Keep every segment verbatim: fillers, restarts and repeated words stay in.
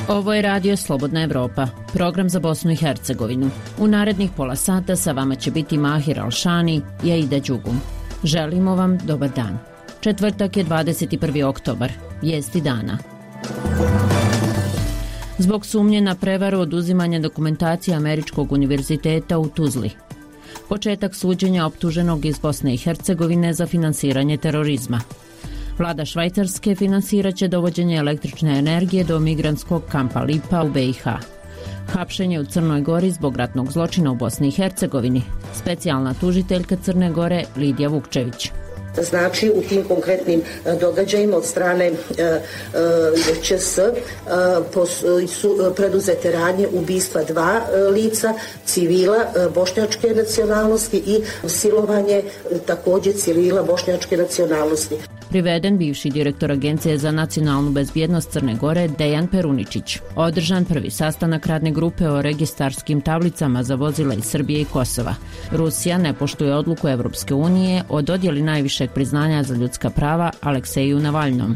Ovo je Radio Slobodna Evropa, program za Bosnu i Hercegovinu. U narednih pola sata sa vama će biti Mahir Alšani i Aida Đugum. Želimo vam dobar dan. Četvrtak je dvadeset prvi oktobar, vijesti dana. Zbog sumnje na prevaru oduzimanja dokumentacije Američkog univerziteta u Tuzli. Početak suđenja optuženog iz Bosne i Hercegovine za finansiranje terorizma. Vlada Švajcarske finansirat će dovođenje električne energije do migrantskog kampa Lipa u B i H. Hapšenje u Crnoj Gori zbog ratnog zločina u Bosni i Hercegovini. Specijalna tužiteljka Crne Gore Lidija Vukčević. Znači u tim konkretnim događajima od strane Č S su preduzete radnje ubistva dva lica, civila bošnjačke nacionalnosti i silovanje također civila bošnjačke nacionalnosti. Priveden bivši direktor Agencije za nacionalnu bezbjednost Crne Gore Dejan Peruničić. Održan prvi sastanak radne grupe o registarskim tablicama za vozila iz Srbije i Kosova. Rusija ne poštuje odluku Evropske unije o dodjeli najvišeg priznanja za ljudska prava Alekseju Navalnom.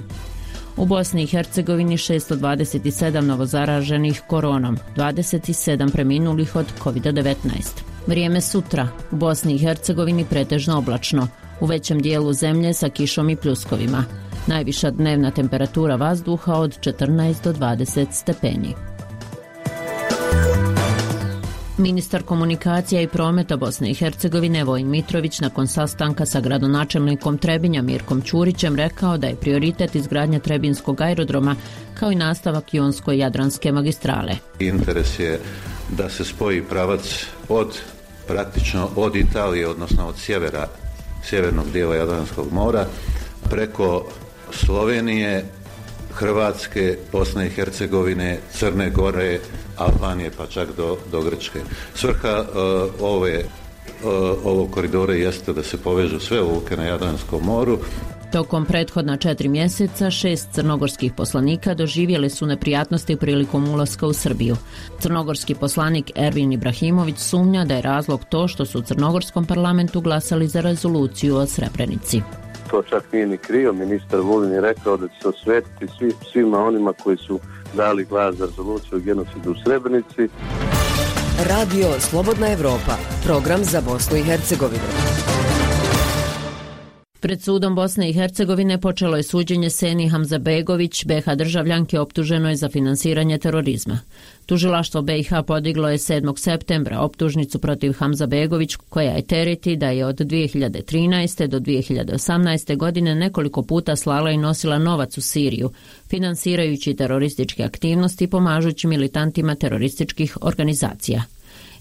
U Bosni i Hercegovini šesto dvadeset sedam novozaraženih koronom, dvadeset sedam preminulih od kovid devetnaest. Vrijeme sutra. U Bosni i Hercegovini pretežno oblačno. U većem dijelu zemlje sa kišom i pljuskovima. Najviša dnevna temperatura vazduha od četrnaest do dvadeset stepeni. Ministar komunikacija i prometa Bosne i Hercegovine Vojin Mitrović nakon sastanka sa gradonačelnikom Trebinja Mirkom Ćurićem rekao da je prioritet izgradnja Trebinskog aerodroma kao i nastavak Jonsko-Jadranske magistrale. Interes je da se spoji pravac od praktično od Italije, odnosno od sjevera sjevernog dijela Jadranskog mora, preko Slovenije, Hrvatske, Bosne i Hercegovine, Crne Gore, Albanije pa čak do, do Grčke. Svrha uh, ove, uh, ovog koridora jeste da se povežu sve luke na Jadranskom moru. Tokom prethodna četiri mjeseca šest crnogorskih poslanika doživjeli su neprijatnosti prilikom ulaska u Srbiju. Crnogorski poslanik Ervin Ibrahimović sumnja da je razlog to što su u crnogorskom parlamentu glasali za rezoluciju o Srebrenici. To čak nije ni krio, ministar Vulin je rekao da će se osvetiti svi, svima onima koji su dali glas za rezoluciju o genocidu u Srebrenici. Radio Slobodna Evropa, program za Bosnu i Hercegovinu. Pred sudom Bosne i Hercegovine počelo je suđenje Seni Hamzabegović, B i H državljanke optuženoj za finansiranje terorizma. Tužilaštvo B i H podiglo je sedmog septembra optužnicu protiv Hamzabegović, koja je tereti da je od dvije hiljade trinaeste. do dvije hiljade osamnaeste. godine nekoliko puta slala i nosila novac u Siriju, finansirajući terorističke aktivnosti i pomažući militantima terorističkih organizacija.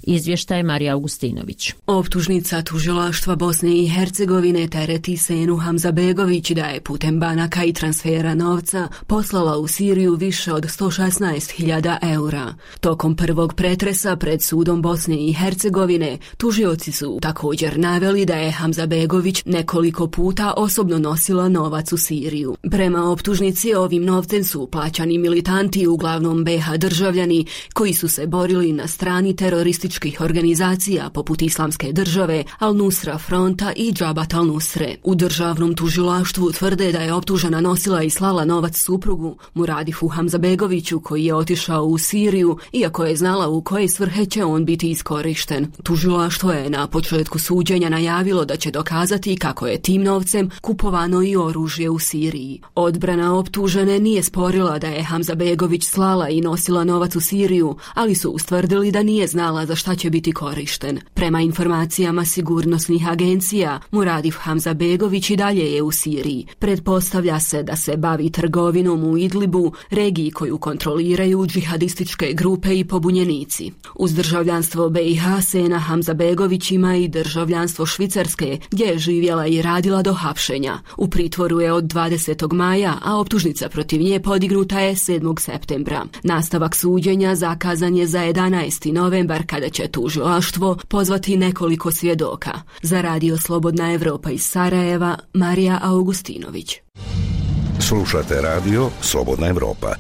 Izvještaj Marija Augustinović. Optužnica tužilaštva Bosne i Hercegovine tereti Senu Hamzabegović da je putem banaka i transfera novca poslala u Siriju više od sto šesnaest hiljada eura. Tokom prvog pretresa pred sudom Bosne i Hercegovine tužioci su također naveli da je Hamzabegović nekoliko puta osobno nosila novac u Siriju. Prema optužnici ovim novcem su plaćani militanti, uglavnom B i H državljani, koji su se borili na strani terorističkih organizacija poput Islamske države, Al-Nusra fronta i Džabat al-Nusre. U državnom tužilaštvu tvrde da je optužena nosila i slala novac suprugu Muradifu Hamzabegoviću, koji je otišao u Siriju, iako je znala u koje svrhe će on biti iskorišten. Tužilaštvo je na početku suđenja najavilo da će dokazati kako je tim novcem kupovano i oružje u Siriji. Odbrana optužene nije sporila da je Hamzabegović slala i nosila novac u Siriju, ali su ustvrdili da nije znala za šta će biti korišten. Prema informacijama sigurnosnih agencija, Muradif Hamzabegović i dalje je u Siriji. Pretpostavlja se da se bavi trgovinom u Idlibu, regiji koju kontroliraju džihadističke grupe i pobunjenici. Uz državljanstvo B i H Sena Hamzabegović ima i državljanstvo Švicarske, gdje je živjela i radila do hapšenja. U pritvoru je od dvadesetog maja, a optužnica protiv nje podignuta je sedmog septembra. Nastavak suđenja zakazan je za jedanaesti novembar, kada će tužilaštvo pozvati nekoliko svjedoka. Za Radio Slobodna Evropa iz Sarajeva, Marija Augustinović. Slušate Radio Slobodna Evropa.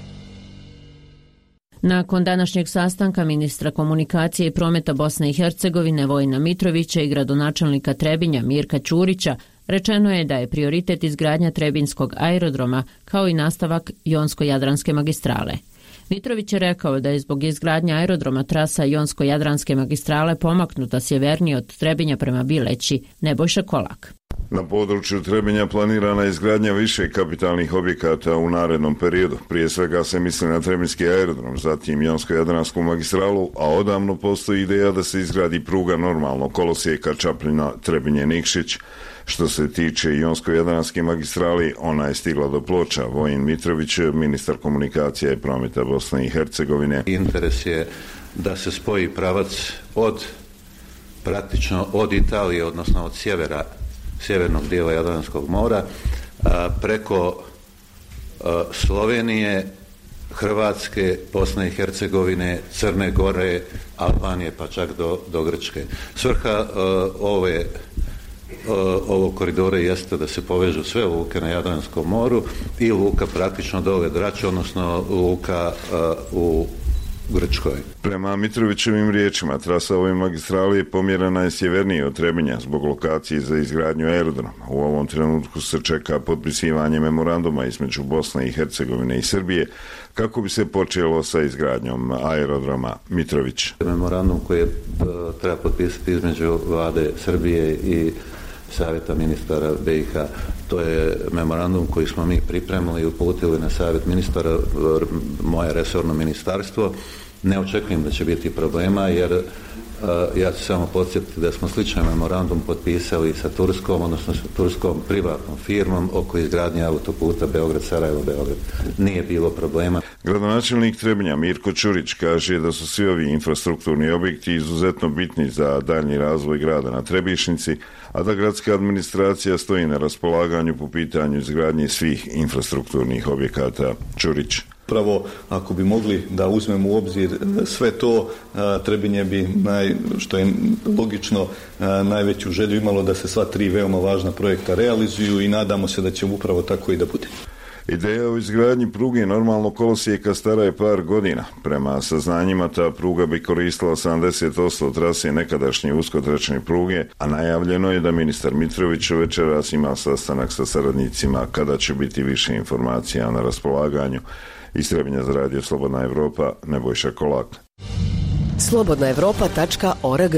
Nakon današnjeg sastanka ministra komunikacije i prometa Bosne i Hercegovine Vojina Mitrovića i gradonačelnika Trebinja Mirka Ćurića, rečeno je da je prioritet izgradnja Trebinskog aerodroma kao i nastavak Jonsko-Jadranske magistrale. Mitrović je rekao da je zbog izgradnje aerodroma trasa Jonsko-Jadranske magistrale pomaknuta sjevernije od Trebinja prema Bileći. Nebojša Kolak. Na području Trebinja planirana je izgradnja više kapitalnih objekata u narednom periodu. Prije svega se misli na Trebinski aerodrom, zatim Jonsko-Jadransku magistralu, a odavno postoji ideja da se izgradi pruga normalnog kolosijeka Čapljina Trebinje-Nikšić. Što se tiče Jonsko-Jadranske magistrali, ona je stigla do Ploča. Vojin Mitrović, ministar komunikacije i prometa Bosne i Hercegovine. Interes je da se spoji pravac od praktično od Italije, odnosno od sjevera sjevernog dijela Jadranskog mora, a, preko a, Slovenije, Hrvatske, Bosne i Hercegovine, Crne Gore, Albanije pa čak do, do Grčke. Svrha a, ove ovog koridora jeste da se povežu sve luke na Jadranskom moru i luka praktično dole Drač, odnosno luka a, u Grčkoj. Prema Mitrovićevim riječima, trasa ove magistrale pomjerena je sjevernije od Trebinja zbog lokacije za izgradnju aerodroma. U ovom trenutku se čeka potpisivanje memoranduma između Bosne i Hercegovine i Srbije kako bi se počelo sa izgradnjom aerodroma. Mitrović. Memorandum koji je treba potpisati između vlade Srbije i Savjeta ministara B i H. To je memorandum koji smo mi pripremili i uputili na Savjet ministara, moje resorno ministarstvo. Ne očekujem da će biti problema, jer uh, ja ću samo podsjetiti da smo sličan memorandum potpisali sa Turskom, odnosno sa turskom privatnom firmom oko izgradnje autoputa Beograd-Sarajevo-Beograd. Nije bilo problema. Gradonačelnik Trebinja Mirko Ćurić kaže da su svi ovi infrastrukturni objekti izuzetno bitni za daljnji razvoj grada na Trebišnici, a da gradska administracija stoji na raspolaganju po pitanju izgradnje svih infrastrukturnih objekata. Ćurić. Pravo, ako bi mogli da uzmemo u obzir sve to, Trebinje bi, naj, što je logično, najveću želju imalo da se sva tri veoma važna projekta realizuju i nadamo se da će upravo tako i da bude. Ideja o izgradnji pruge normalnog kolosijeka stara je par godina. Prema saznanjima ta pruga bi koristila sedamdeset posto trase nekadašnje uskotračne pruge, a najavljeno je da ministar Mitrović večeras ima sastanak sa saradnicima kada će biti više informacija na raspolaganju. Iz Trebinja za radio Slobodna Evropa, Nebojša Kolak. slobodna evropa tačka org.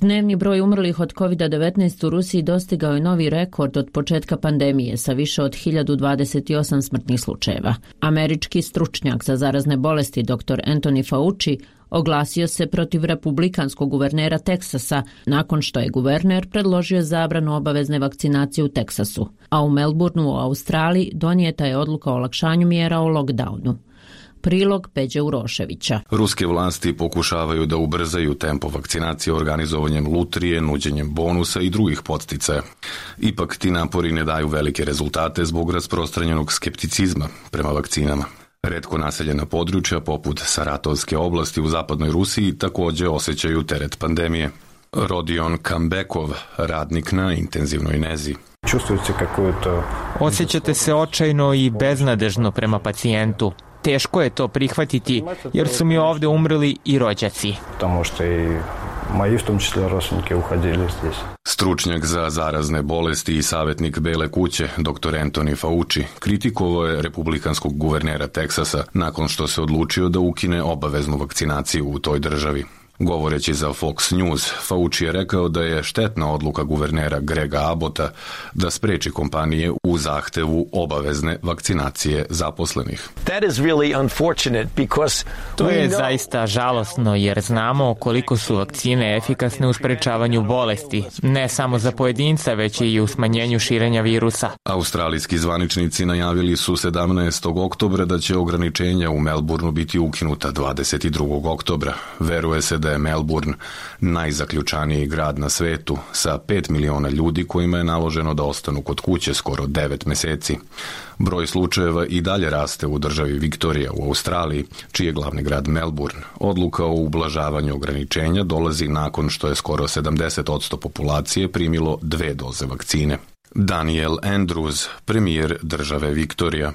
Dnevni broj umrlih od kovid devetnaest u Rusiji dostigao je novi rekord od početka pandemije sa više od hiljadu dvadeset osam smrtnih slučajeva. Američki stručnjak za zarazne bolesti dr Anthony Fauci oglasio se protiv republikanskog guvernera Teksasa nakon što je guverner predložio zabranu obavezne vakcinacije u Teksasu, a u Melbourneu u Australiji donijeta je odluka o olakšanju mjera o lockdownu. Prilog Peđe Uroševića. Ruske vlasti pokušavaju da ubrzaju tempo vakcinacije organizovanjem lutrije, nuđenjem bonusa i drugih podsticaja. Ipak ti napori ne daju velike rezultate zbog rasprostranjenog skepticizma prema vakcinama. Retko naseljena područja poput Saratovske oblasti u zapadnoj Rusiji također osjećaju teret pandemije. Rodion Kambekov, radnik na intenzivnoj nezi. Osjećate se očajno i beznadežno prema pacijentu. Teško je to prihvatiti jer su mi ovdje umrli i rođaci. Stručnjak za zarazne bolesti i savjetnik Bele kuće, dr Anthony Fauci, kritikovao je republikanskog guvernera Teksasa nakon što se odlučio da ukine obaveznu vakcinaciju u toj državi. Govoreći za Fox News, Fauci je rekao da je štetna odluka guvernera Grega Abbotta da spreči kompanije u zahtevu obavezne vakcinacije zaposlenih. To je zaista žalosno jer znamo koliko su vakcine efikasne u sprečavanju bolesti, ne samo za pojedinca, već i u smanjenju širenja virusa. Australijski zvaničnici najavili su sedamnaestog oktobra da će ograničenja u Melbourneu biti ukinuta dvadeset drugog oktobra. Veruje se da je Melbourne najzaključaniji grad na svetu sa pet miliona ljudi kojima je naloženo da ostanu kod kuće skoro devet meseci. Broj slučajeva i dalje raste u državi Viktorija u Australiji, čiji je glavni grad Melbourne. Odluka o ublažavanju ograničenja dolazi nakon što je skoro sedamdeset posto populacije primilo dve doze vakcine. Daniel Andrews, premijer države Viktorija.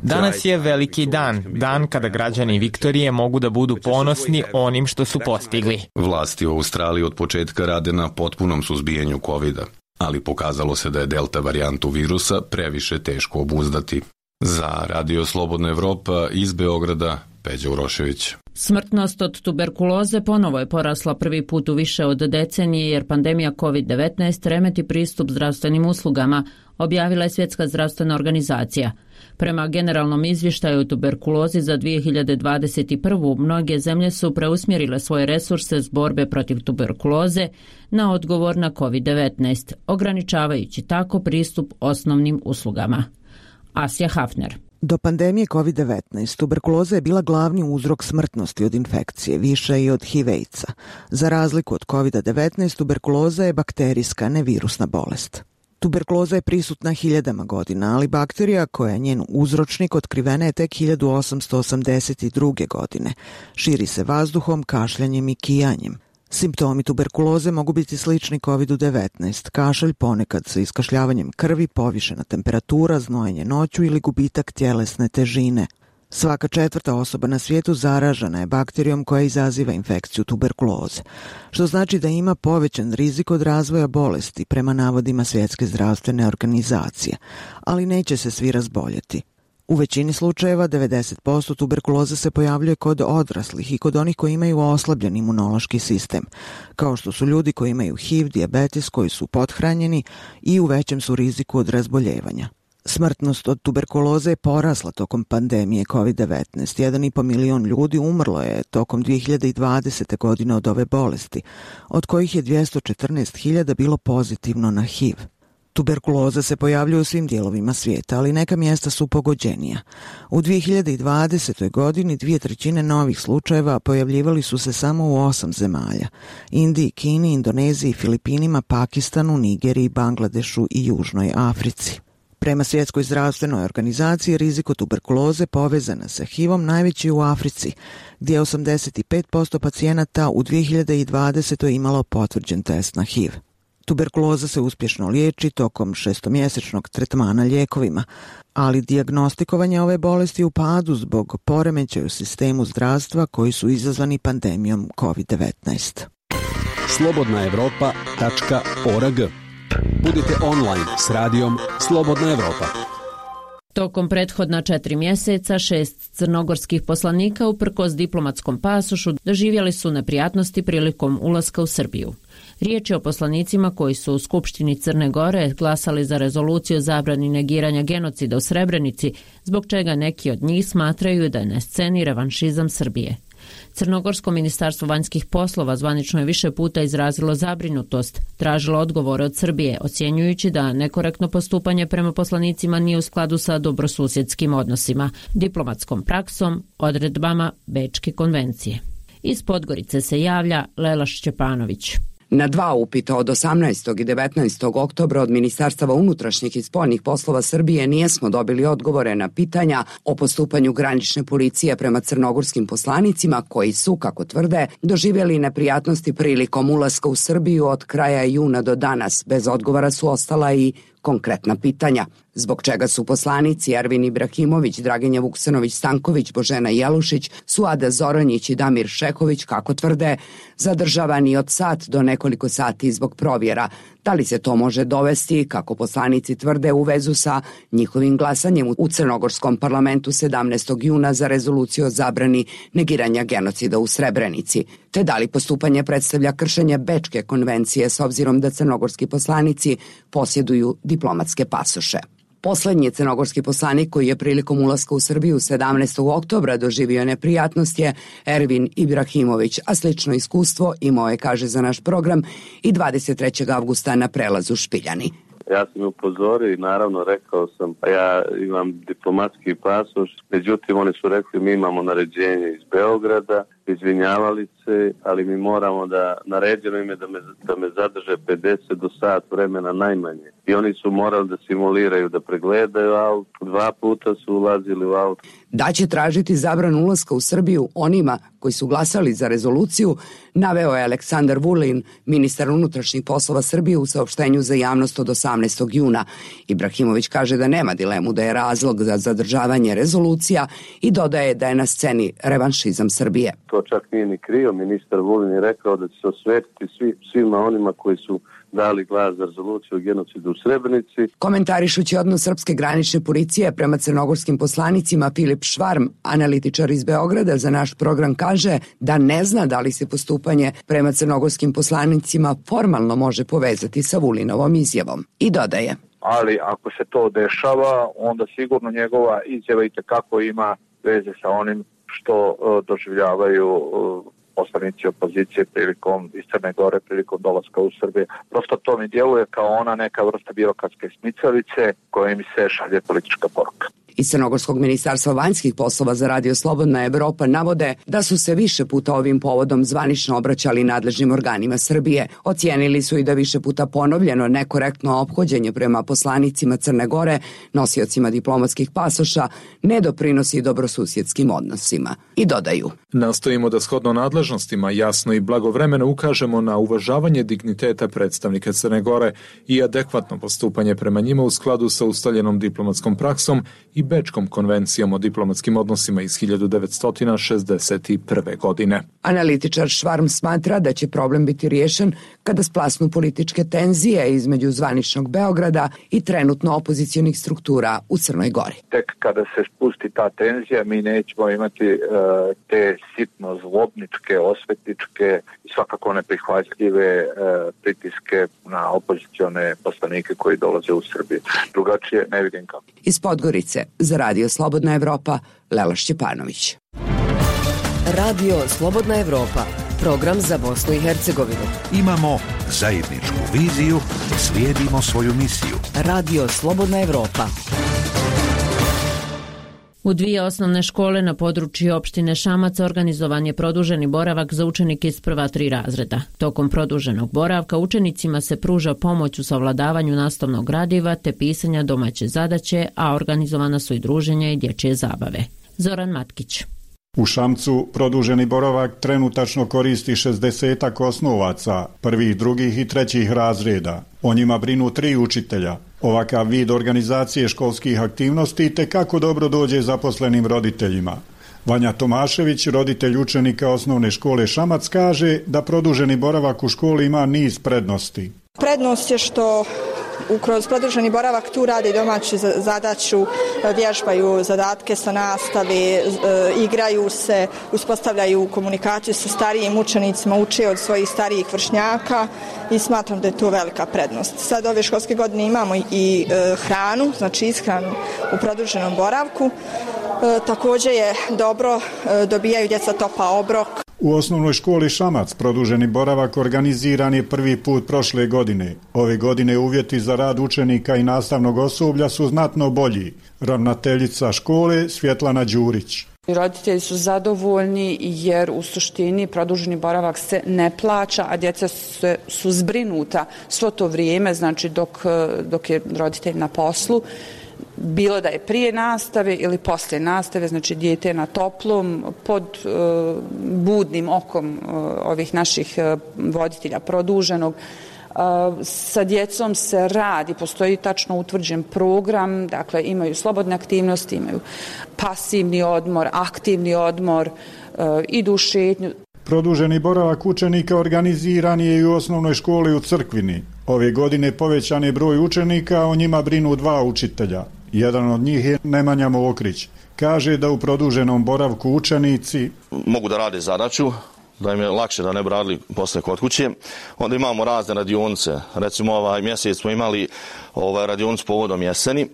Danas je veliki dan, dan kada građani Viktorije mogu da budu ponosni onim što su postigli. Vlasti u Australiji od početka rade na potpunom suzbijanju kovida, ali pokazalo se da je delta varijantu virusa previše teško obuzdati. Za Radio Slobodna Evropa iz Beograda, Peđa Urošević. Smrtnost od tuberkuloze ponovo je porasla prvi put u više od decenije jer pandemija kovid devetnaest remeti pristup zdravstvenim uslugama, objavila je Svjetska zdravstvena organizacija. Prema generalnom izvještaju o tuberkulozi za dvije hiljade dvadeset prvu. mnoge zemlje su preusmjerile svoje resurse s borbe protiv tuberkuloze na odgovor na kovid devetnaest, ograničavajući tako pristup osnovnim uslugama. Asja Hafner. Do pandemije kovid devetnaest tuberkuloza je bila glavni uzrok smrtnosti od infekcije, više i od H I V AIDS-a. Za razliku od kovid devetnaest, tuberkuloza je bakterijska, ne virusna bolest. Tuberkuloza je prisutna hiljadama godina, ali bakterija koja je njen uzročnik otkrivena je tek hiljadu osamsto osamdeset druge. godine. Širi se vazduhom, kašljanjem i kijanjem. Simptomi tuberkuloze mogu biti slični kovid devetnaest, kašalj ponekad sa iskašljavanjem krvi, povišena temperatura, znojenje noću ili gubitak tjelesne težine. Svaka četvrta osoba na svijetu zaražena je bakterijom koja izaziva infekciju tuberkuloze, što znači da ima povećan rizik od razvoja bolesti prema navodima Svjetske zdravstvene organizacije, ali neće se svi razboljeti. U većini slučajeva devedeset posto tuberkuloze se pojavljuje kod odraslih i kod onih koji imaju oslabljen imunološki sistem, kao što su ljudi koji imaju H I V, dijabetes, koji su pothranjeni i u većem su riziku od razboljevanja. Smrtnost od tuberkuloze je porasla tokom pandemije kovid devetnaest. jedan i po milion ljudi umrlo je tokom dvije hiljade dvadesete. godine od ove bolesti, od kojih je dvjesto četrnaest hiljada bilo pozitivno na H I V. Tuberkuloza se pojavljuje u svim dijelovima svijeta, ali neka mjesta su pogođenija. U dvije hiljade dvadesetoj. godini dvije trećine novih slučajeva pojavljivali su se samo u osam zemalja: Indiji, Kini, Indoneziji, Filipinima, Pakistanu, Nigeriji, Bangladešu i Južnoj Africi. Prema Svjetskoj zdravstvenoj organizaciji, rizik od tuberkuloze povezana sa H I V-om najveći u Africi, gdje je osamdeset pet posto pacijenata u dvije hiljade dvadesetoj. imalo potvrđen test na H I V. Tuberkuloza se uspješno liječi tokom šestomjesečnog tretmana lijekovima, ali dijagnostikovanje ove bolesti u padu zbog poremećaja u sistemu zdravstva koji su izazvani pandemijom kovid devetnaest. slobodna evropa tačka org. Budite online s radijom Slobodna Evropa. Tokom prethodna četiri mjeseca šest crnogorskih poslanika uprkos diplomatskom pasošu doživjeli su neprijatnosti prilikom ulaska u Srbiju. Riječ je o poslanicima koji su u Skupštini Crne Gore glasali za rezoluciju o zabrani negiranja genocida u Srebrenici, zbog čega neki od njih smatraju da je na sceni revanšizam Srbije. Crnogorsko ministarstvo vanjskih poslova zvanično je više puta izrazilo zabrinutost, tražilo odgovore od Srbije, ocjenjujući da nekorektno postupanje prema poslanicima nije u skladu sa dobrosusjedskim odnosima, diplomatskom praksom, odredbama Bečke konvencije. Iz Podgorice se javlja Lela Šćepanović. Na dva upita od osamnaestog i devetnaestog oktobra od Ministarstava unutrašnjih i spoljnih poslova Srbije nijesmo dobili odgovore na pitanja o postupanju granične policije prema crnogorskim poslanicima koji su, kako tvrde, doživjeli neprijatnosti prilikom ulaska u Srbiju od kraja juna do danas. Bez odgovora su ostala i konkretna pitanja. Zbog čega su poslanici Ervin Ibrahimović, Draginja Vuksanović-Stanković, Božena Jelušić, Suada Zoranjić i Damir Šeković, kako tvrde, zadržavani od sat do nekoliko sati zbog provjera. Da li se to može dovesti, kako poslanici tvrde, u vezu sa njihovim glasanjem u Crnogorskom parlamentu sedamnaestog juna za rezoluciju o zabrani negiranja genocida u Srebrenici? Te da li postupanje predstavlja kršenje Bečke konvencije s obzirom da crnogorski poslanici posjeduju diplomatske pasoše? Poslednji crnogorski poslanik koji je prilikom ulaska u Srbiju sedamnaestog oktobra doživio neprijatnost je Ervin Ibrahimović, a slično iskustvo imao je, kaže za naš program, i dvadeset trećeg avgusta na prelazu Špiljani. Ja sam upozorio i naravno rekao sam, pa ja imam diplomatski pasoš, međutim oni su rekli mi imamo naređenje iz Beograda izvinjavali se, ali mi moramo da, naređeno im je da me, da me zadrže pedeset do sat vremena najmanje. I oni su morali da simuliraju, da pregledaju auto, dva puta su ulazili u auto. Da će tražiti zabranu ulaska u Srbiju onima koji su glasali za rezoluciju, naveo je Aleksandar Vulin, ministar unutrašnjih poslova Srbije u saopštenju za javnost od osamnaestog juna. Ibrahimović kaže da nema dilemu da je razlog za zadržavanje rezolucija i dodaje da je na sceni revanšizam Srbije. To čak nije ni krio, ministar Vulin je rekao da će se osvetiti svi, svima onima koji su dali glas za rezoluciju o genocidu u Srebrenici. Komentarišući odnos srpske granične policije prema crnogorskim poslanicima, Filip Švarm, analitičar iz Beograda, za naš program kaže da ne zna da li se postupanje prema crnogorskim poslanicima formalno može povezati sa Vulinovom izjavom. I dodaje: ali ako se to dešava, onda sigurno njegova izjava itekako ima veze sa onim što uh, doživljavaju uh, poslanici opozicije prilikom iz Crne Gore, prilikom dolaska u Srbiju. Prosto to mi djeluje kao ona neka vrsta birokratske smicavice koja mi se šalje politička poruka. Iz Crnogorskog ministarstva vanjskih poslova za Radio Slobodna Evropa navode da su se više puta ovim povodom zvanično obraćali nadležnim organima Srbije. Ocijenili su i da više puta ponovljeno nekorektno ophođenje prema poslanicima Crne Gore, nosiocima diplomatskih pasoša, ne doprinosi dobrosusjedskim odnosima. I dodaju: nastojimo da shodno nadležnostima jasno i blagovremeno ukažemo na uvažavanje digniteta predstavnika Crne Gore i adekvatno postupanje prema njima u skladu sa ustaljenom diplomatskom praksom i Bečkom konvencijom o diplomatskim odnosima iz hiljadu devetsto šezdeset prve. godine. Analitičar Švarm smatra da će problem biti riješen kada splasnu političke tenzije između zvaničnog Beograda i trenutno opozicionih struktura u Crnoj Gori. Tek kada se spusti ta tenzija, mi nećemo imati uh, te sitno zlobničke, osvetničke i svakako neprihvatljive uh, pritiske na opozicione poslanike koji dolaze u Srbiju. Drugačije ne vidim kako. Iz Podgorice za Radio Slobodna Evropa, Lela Šćepanović. Radio Slobodna Evropa, program za Bosnu i Hercegovinu. Imamo zajedničku viziju, slijedimo svoju misiju. Radio Slobodna Evropa. U dvije osnovne škole na području opštine Šamac organizovan je produženi boravak za učenike iz prva tri razreda. Tokom produženog boravka učenicima se pruža pomoć u savladavanju nastavnog gradiva te pisanja domaće zadaće, a organizovana su i druženja i dječje zabave. Zoran Matkić. U Šamcu produženi boravak trenutačno koristi šezdesetak osnovaca, prvih, drugih i trećih razreda. O njima brinu tri učitelja. Ovakav vid organizacije školskih aktivnosti te kako dobro dođe zaposlenim roditeljima. Vanja Tomašević, roditelj učenika osnovne škole Šamac, kaže da produženi boravak u školi ima niz prednosti. Prednost je što kroz produženi boravak tu rade domaću zadaću, vježbaju zadatke sa nastave, igraju se, uspostavljaju komunikaciju sa starijim učenicima, uče od svojih starijih vršnjaka i smatram da je to velika prednost. Sad ove školske godine imamo i hranu, znači ishranu u produženom boravku. Također je dobro, dobijaju djeca topao obrok. U osnovnoj školi Šamac produženi boravak organiziran je prvi put prošle godine. Ove godine uvjeti za rad učenika i nastavnog osoblja su znatno bolji. Ravnateljica škole Svjetlana Đurić. Roditelji su zadovoljni jer u suštini produženi boravak se ne plaća, a djeca su, su zbrinuta svo to vrijeme, znači dok, dok je roditelj na poslu. Bilo da je prije nastave ili poslije nastave, znači dijete je na toplom, pod uh, budnim okom uh, ovih naših uh, voditelja produženog. Uh, sa djecom se radi, postoji tačno utvrđen program, dakle imaju slobodne aktivnosti, imaju pasivni odmor, aktivni odmor, uh, idu u šetnju. Produženi boravak učenika organiziran je i u osnovnoj školi u Crkvini. Ove godine povećan je broj učenika, o njima brinu dva učitelja. Jedan od njih je Nemanja Mokrić. Kaže da u produženom boravku učenici mogu da rade zadaću, da im je lakše da ne bi radili posle kod kuće. Onda imamo razne radionice. Recimo ovaj mjesec smo imali ovaj radionicu povodom jeseni,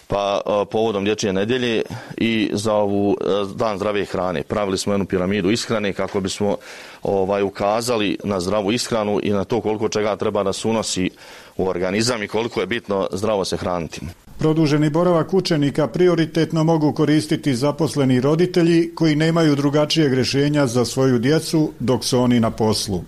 pa povodom dječje nedjelje i za ovu dan zdrave hrane. Pravili smo jednu piramidu ishrane kako bismo ovaj ukazali na zdravu ishranu i na to koliko čega treba da se unosi u organizam i koliko je bitno zdravo se hraniti. Produženi boravak učenika prioritetno mogu koristiti zaposleni roditelji koji nemaju drugačijeg rješenja za svoju djecu dok su oni na poslu.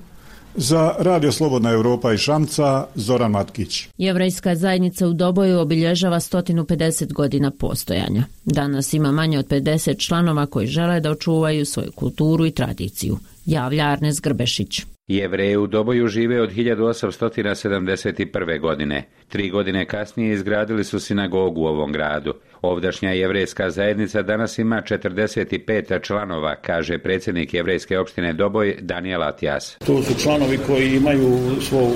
Za Radio Slobodna Europa i Šamca, Zoran Matkić. Jevrejska zajednica u Doboju obilježava sto pedeset godina postojanja. Danas ima manje od pedeset članova koji žele da očuvaju svoju kulturu i tradiciju. Javlja Arnes Grbešić. Jevreji u Doboju žive od hiljadu osamsto sedamdeset prve. godine. Tri godine kasnije izgradili su sinagogu u ovom gradu. Ovdašnja jevrejska zajednica danas ima četrdeset pet članova, kaže predsjednik jevrejske opštine Doboj Daniel Atijas. To su članovi koji imaju svo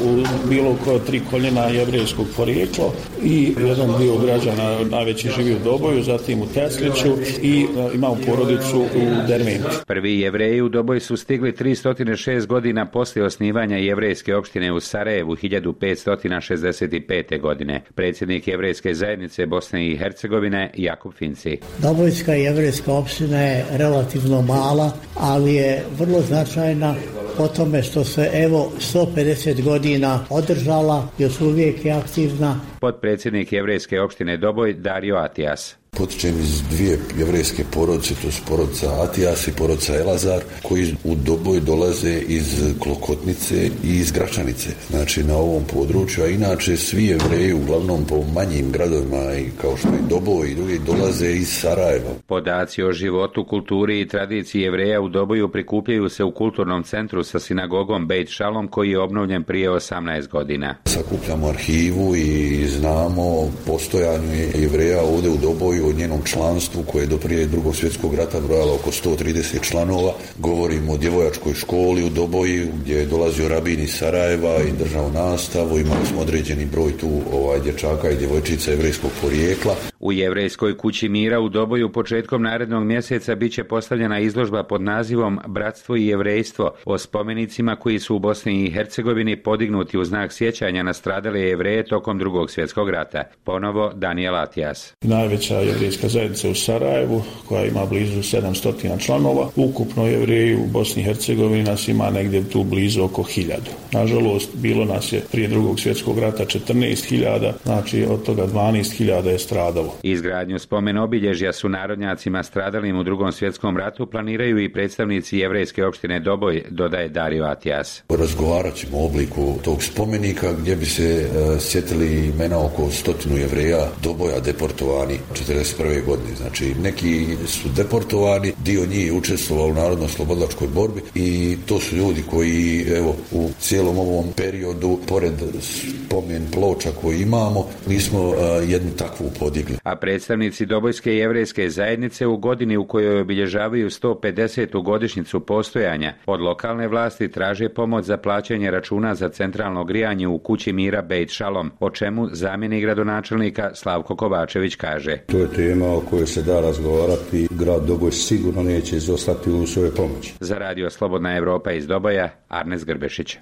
bilo koje tri koljena jevrejskog porijekla i jedan dio građana najveći živi u Doboju, zatim u Tesliću i imamo porodicu u Derventu. Prvi jevreji u Doboj su stigli tristo šest godina poslije osnivanja jevrejske opštine u Sarajevu hiljadu petsto šezdeset pete. godine. Predsjednik jevrejske zajednice Bosne i Hercegovine Jakub Finci. Dobojska jevrejska opština je relativno mala, ali je vrlo značajna po tome što se evo sto pedeset godina održala, još uvijek je aktivna. Potpredsjednik jevrejske opštine Doboj Dario Atijas. Potičem iz dvije jevrejske porodice, to su porodica Atijas i porodica Elazar, koji u Doboj dolaze iz Klokotnice i iz Gračanice, znači na ovom području, a inače svi jevreji uglavnom po manjim gradovima i kao što je Doboj i drugi dolaze iz Sarajeva. Podaci o životu, kulturi i tradiciji jevreja u Doboju prikupljaju se u kulturnom centru sa sinagogom Beit Shalom koji je obnovljen prije osamnaest godina. Sakupljamo arhivu i znamo postojanju jevreja ovdje u Doboju, o njenom članstvu koje je do prije drugog svjetskog rata brojalo oko sto trideset članova. Govorimo o djevojačkoj školi u Doboju gdje je dolazio rabin iz Sarajeva i držao nastavu. Imali smo određeni broj tu ovaj, dječaka i djevojčica jevrejskog porijekla. U jevrejskoj kući mira u Doboju početkom narednog mjeseca bit će postavljena izložba pod nazivom Bratstvo i jevrejstvo o spomenicima koji su u Bosni i Hercegovini podignuti u znak sjećanja na stradale jevreje tokom drugog svjetskog rata. Ponovo Daniel Atijas. Najveća jevrejska zajednica u Sarajevu koja ima blizu sedamsto članova. Ukupno jevreji u Bosni i Hercegovini nas ima negdje tu blizu oko hiljadu. Nažalost, bilo nas je prije drugog svjetskog rata četrnaest hiljada, znači od toga dvanaest hiljada je stradalo. Izgradnju spomen obilježja su narodnjacima stradalim u drugom svjetskom ratu planiraju i predstavnici jevrejske opštine Doboj, dodaje Dario Atijas. Razgovarat ćemo o obliku tog spomenika gdje bi se uh, sjetili imena oko stotinu jevreja Doboja deportovani četrdeset prve. godine. Znači, neki su deportovani, dio njih je učestvovao u narodno-slobodlačkoj borbi i to su ljudi koji, evo, u cijelom ovom periodu, pored spomen ploča koji imamo, mi smo uh, jednu takvu podigli. A predstavnici Dobojske jevrejske zajednice u godini u kojoj obilježavaju sto pedesetu godišnjicu postojanja od lokalne vlasti traže pomoć za plaćanje računa za centralno grijanje u kući mira Beit Shalom, o čemu zamjenik gradonačelnika Slavko Kovačević kaže. To je tema o kojoj se da razgovarati. Grad Doboj sigurno neće izostati u svojoj pomoći. Za Radio Slobodna Evropa iz Doboja, Arnes Grbešić.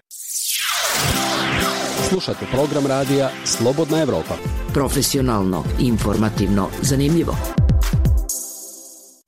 Slušate program radija Slobodna Evropa. Profesionalno, informativno, zanimljivo.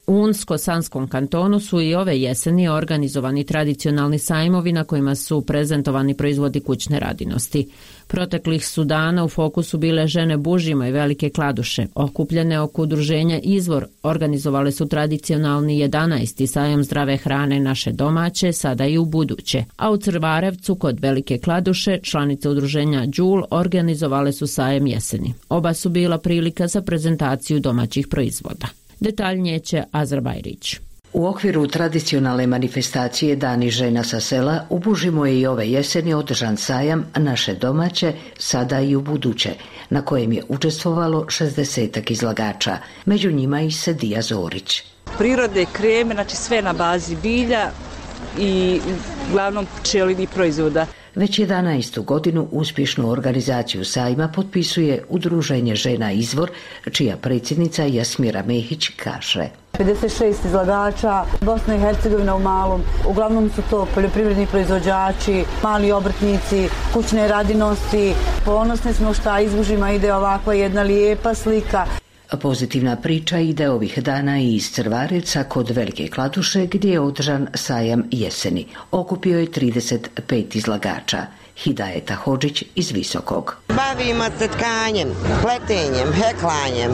U Unsko-Sanskom kantonu su i ove jeseni organizovani tradicionalni sajmovi na kojima su prezentovani proizvodi kućne radinosti. Proteklih su dana u fokusu bile žene bužima i velike kladuše. Okupljene oko udruženja Izvor organizovale su tradicionalni jedanaesti sajam zdrave hrane naše domaće, sada i u buduće. A u Crvarevcu kod velike kladuše članice udruženja Đul organizovale su sajam jeseni. Oba su bila prilika za prezentaciju domaćih proizvoda. Detaljnije će Azra Bajrić. U okviru tradicionalne manifestacije Dani žena sa sela u Bužimo je i ove jeseni održan sajam naše domaće, sada i u buduće, na kojem je učestvovalo šezdesetak izlagača, među njima i Sedija Zorić. Prirode, kreme, znači sve na bazi bilja i uglavnom pčelinih proizvoda. Već jedanaestu godinu uspješnu organizaciju sajma potpisuje Udruženje žena Izvor, čija predsjednica Jasmira Mehić kaže. pedeset šest izlagača, Bosna i Hercegovina u malom. Uglavnom su to poljoprivredni proizvođači, mali obrtnici, kućne radinosti. Ponosni smo šta iz Bužima ide ovakva jedna lijepa slika. Pozitivna priča ide ovih dana i iz Crvarevca kod Velike Kladuše gdje je održan sajam jeseni. Okupio je trideset pet izlagača. Hidajeta Hodžić iz Visokog. Bavimo se tkanjem, pletenjem, heklanjem,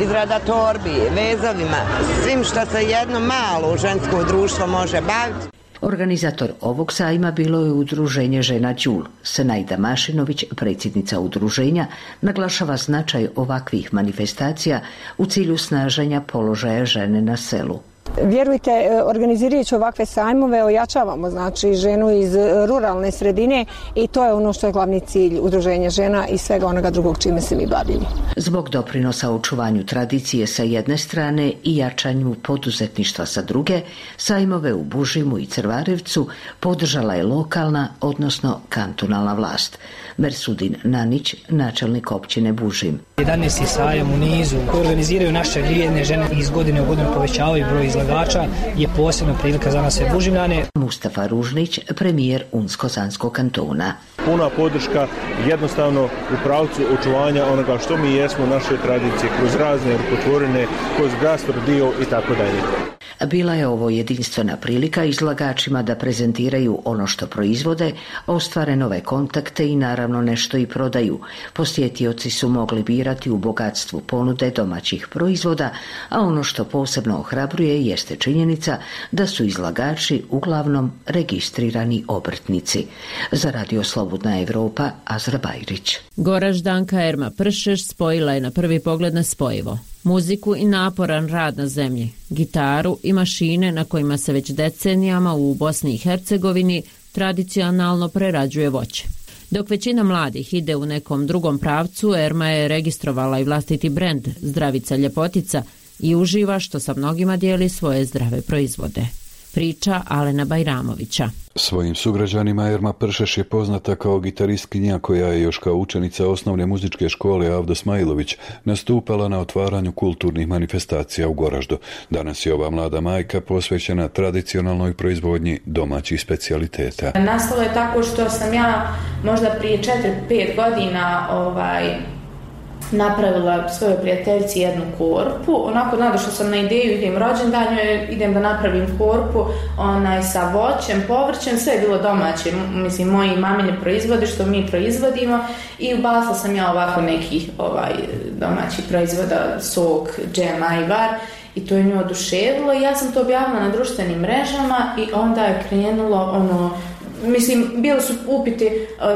izrada torbi, vezovima, svim što se jedno malo žensko društvo može baviti. Organizator ovog sajma bilo je udruženje Žena Đul. Senajda Mašinović, predsjednica udruženja, naglašava značaj ovakvih manifestacija u cilju snaženja položaja žene na selu. Vjerujte, organizirajući ovakve sajmove ojačavamo znači ženu iz ruralne sredine i to je ono što je glavni cilj udruženja žena i svega onoga drugog čime se mi bavimo. Zbog doprinosa očuvanju tradicije sa jedne strane i jačanju poduzetništva sa druge, sajmove u Bužimu i Crvarevcu podržala je lokalna, odnosno kantonalna vlast. Mersudin Nanić, načelnik općine Bužim. jedanaesti sajam u nizu koji organiziraju naše vrijedne žene i iz godine u godinu povećavaju broj izlagača je posebna prilika za nas sve Bužimljane. Mustafa Ružnić, premijer Unsko-Sanskog kantona. Puna podrška jednostavno u pravcu očuvanja onoga što mi jesmo, naše tradicije, kroz razne rukotvorine, kroz gastrodio i tako dalje. Bila je ovo jedinstvena prilika izlagačima da prezentiraju ono što proizvode, ostvare nove kontakte i naravno nešto i prodaju. Posjetioci su mogli birati u bogatstvu ponude domaćih proizvoda, a ono što posebno ohrabruje jeste činjenica da su izlagači uglavnom registrirani obrtnici. Za Radio Slobodna Evropa, Azra Bajrić. Goraždanka Erma Pršeš spojila je na prvi pogled nespojivo. Muziku i naporan rad na zemlji, gitaru i mašine na kojima se već decenijama u Bosni i Hercegovini tradicionalno prerađuje voće. Dok većina mladih ide u nekom drugom pravcu, Erma je registrovala i vlastiti brend Zdravica Ljepotica i uživa što sa mnogima dijeli svoje zdrave proizvode. Priča Alena Bajramovića. Svojim sugrađanima Erma Pršeš je poznata kao gitaristkinja koja je još kao učenica osnovne muzičke škole Avdo Smajlović nastupala na otvaranju kulturnih manifestacija u Goraždu. Danas je ova mlada majka posvećena tradicionalnoj proizvodnji domaćih specijaliteta. Nastalo je tako što sam ja možda prije četiri pet godina ovaj, napravila svojoj prijateljici jednu korpu. Onako nadošla sam na ideju, idem rođendanju, idem da napravim korpu onaj, sa voćem, povrćem, sve je bilo domaće, mislim, moji mamine proizvode što mi proizvodimo i ubacila sam ja ovako nekih ovaj, domaćih proizvoda, sok, džem, ajvar i to je nju oduševilo i ja sam to objavila na društvenim mrežama i onda je krenulo ono. Mislim, bili su upiti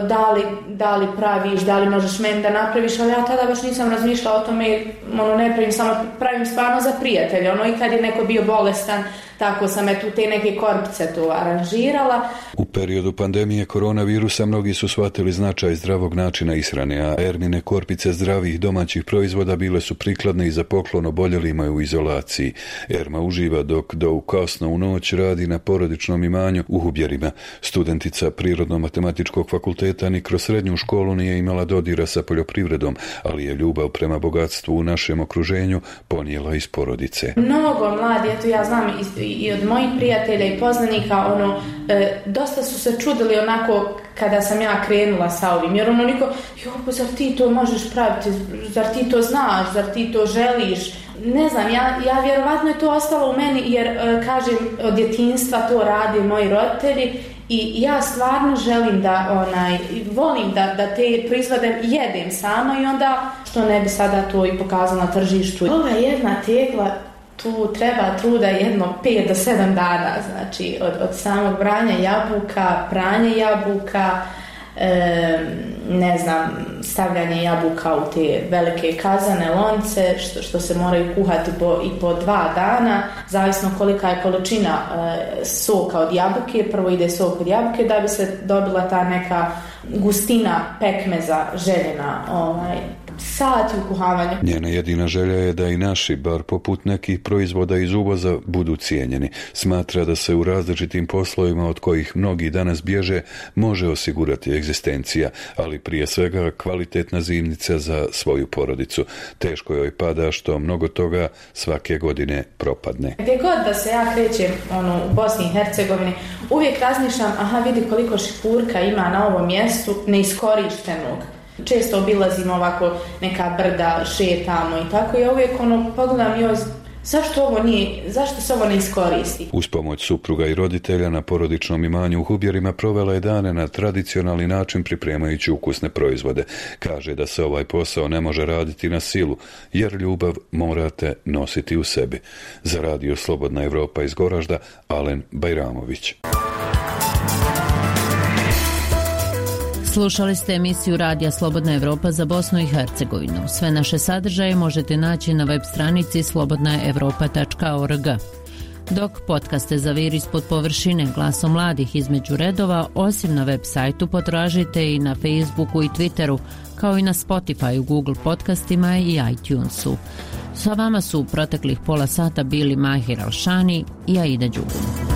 da li, da li praviš, da li možeš meni da napraviš, ali ja tada baš nisam razmišljala o tome, ono, ne pravim, samo pravim stvarno za prijatelje, ono, i kad je neko bio bolestan, tako sam eto te neke korpice tu aranžirala. U periodu pandemije koronavirusa mnogi su shvatili značaj zdravog načina ishrane, a Ermine korpice zdravih domaćih proizvoda bile su prikladne i za poklon oboljelima u izolaciji. Erma uživa dok do u kasno u noć radi na porodičnom imanju u Hubjerima. Studentica Prirodno-matematičkog fakulteta ni kroz srednju školu nije imala dodira sa poljoprivredom, ali je ljubav prema bogatstvu u našem okruženju ponijela iz porodice. Mnogo mladi, eto ja znam i, i od mojih prijatelja i poznanika, ono, e, dosta su se čudili onako kada sam ja krenula sa ovim, jer ono niko, jo, pa zar ti to možeš praviti, zar ti to znaš, zar ti to želiš, ne znam, ja, ja vjerovatno je to ostalo u meni, jer, e, kažem, od djetinjstva to rade moji roditelji. I ja stvarno želim da, onaj, volim da, da te proizvode jedem sama i onda što ne bi sada to i pokazala na tržištu. Ova jedna tegla, tu treba truda jedno pet do sedam dana, znači od, od samog branja jabuka, pranje jabuka, e, ne znam, stavljanje jabuka u te velike kazane, lonce, što, što se moraju kuhati po, i po dva dana, zavisno kolika je količina e, soka od jabuke, prvo ide sok od jabuke da bi se dobila ta neka gustina pekmeza željena, ovaj, sati u kuhavanju. Njena jedina želja je da i naši, bar poput nekih proizvoda iz uvoza, budu cijenjeni. Smatra da se u različitim poslovima od kojih mnogi danas bježe može osigurati egzistencija, ali prije svega kvalitetna zimnica za svoju porodicu. Teško joj pada što mnogo toga svake godine propadne. Gdje god da se ja krećem ono, u Bosni i Hercegovini, uvijek razmišljam, aha, vidi koliko šipurka ima na ovom mjestu neiskorištenog. često obilazimo ovako neka brda, šetamo i tako, ja uvijek ono pogledam joj, zašto ovo nije, zašto se ovo ne iskoristi? Uz pomoć supruga i roditelja na porodičnom imanju u Hubjerima provela je dane na tradicionalni način pripremajući ukusne proizvode. Kaže da se ovaj posao ne može raditi na silu, jer ljubav morate nositi u sebi. Za radio Slobodna Evropa iz Goražda, Alen Bajramović. Slušali ste emisiju Radija Slobodna Evropa za Bosnu i Hercegovinu. Sve naše sadržaje možete naći na web stranici slobodna evropa tačka org. Dok podcaste Zavir ispod površine, glasom mladih između redova, osim na web sajtu potražite i na Facebooku i Twitteru, kao i na Spotify, Google podcastima i iTunesu. Sa vama su u proteklih pola sata bili Mahir Alšani i Aida Đugum.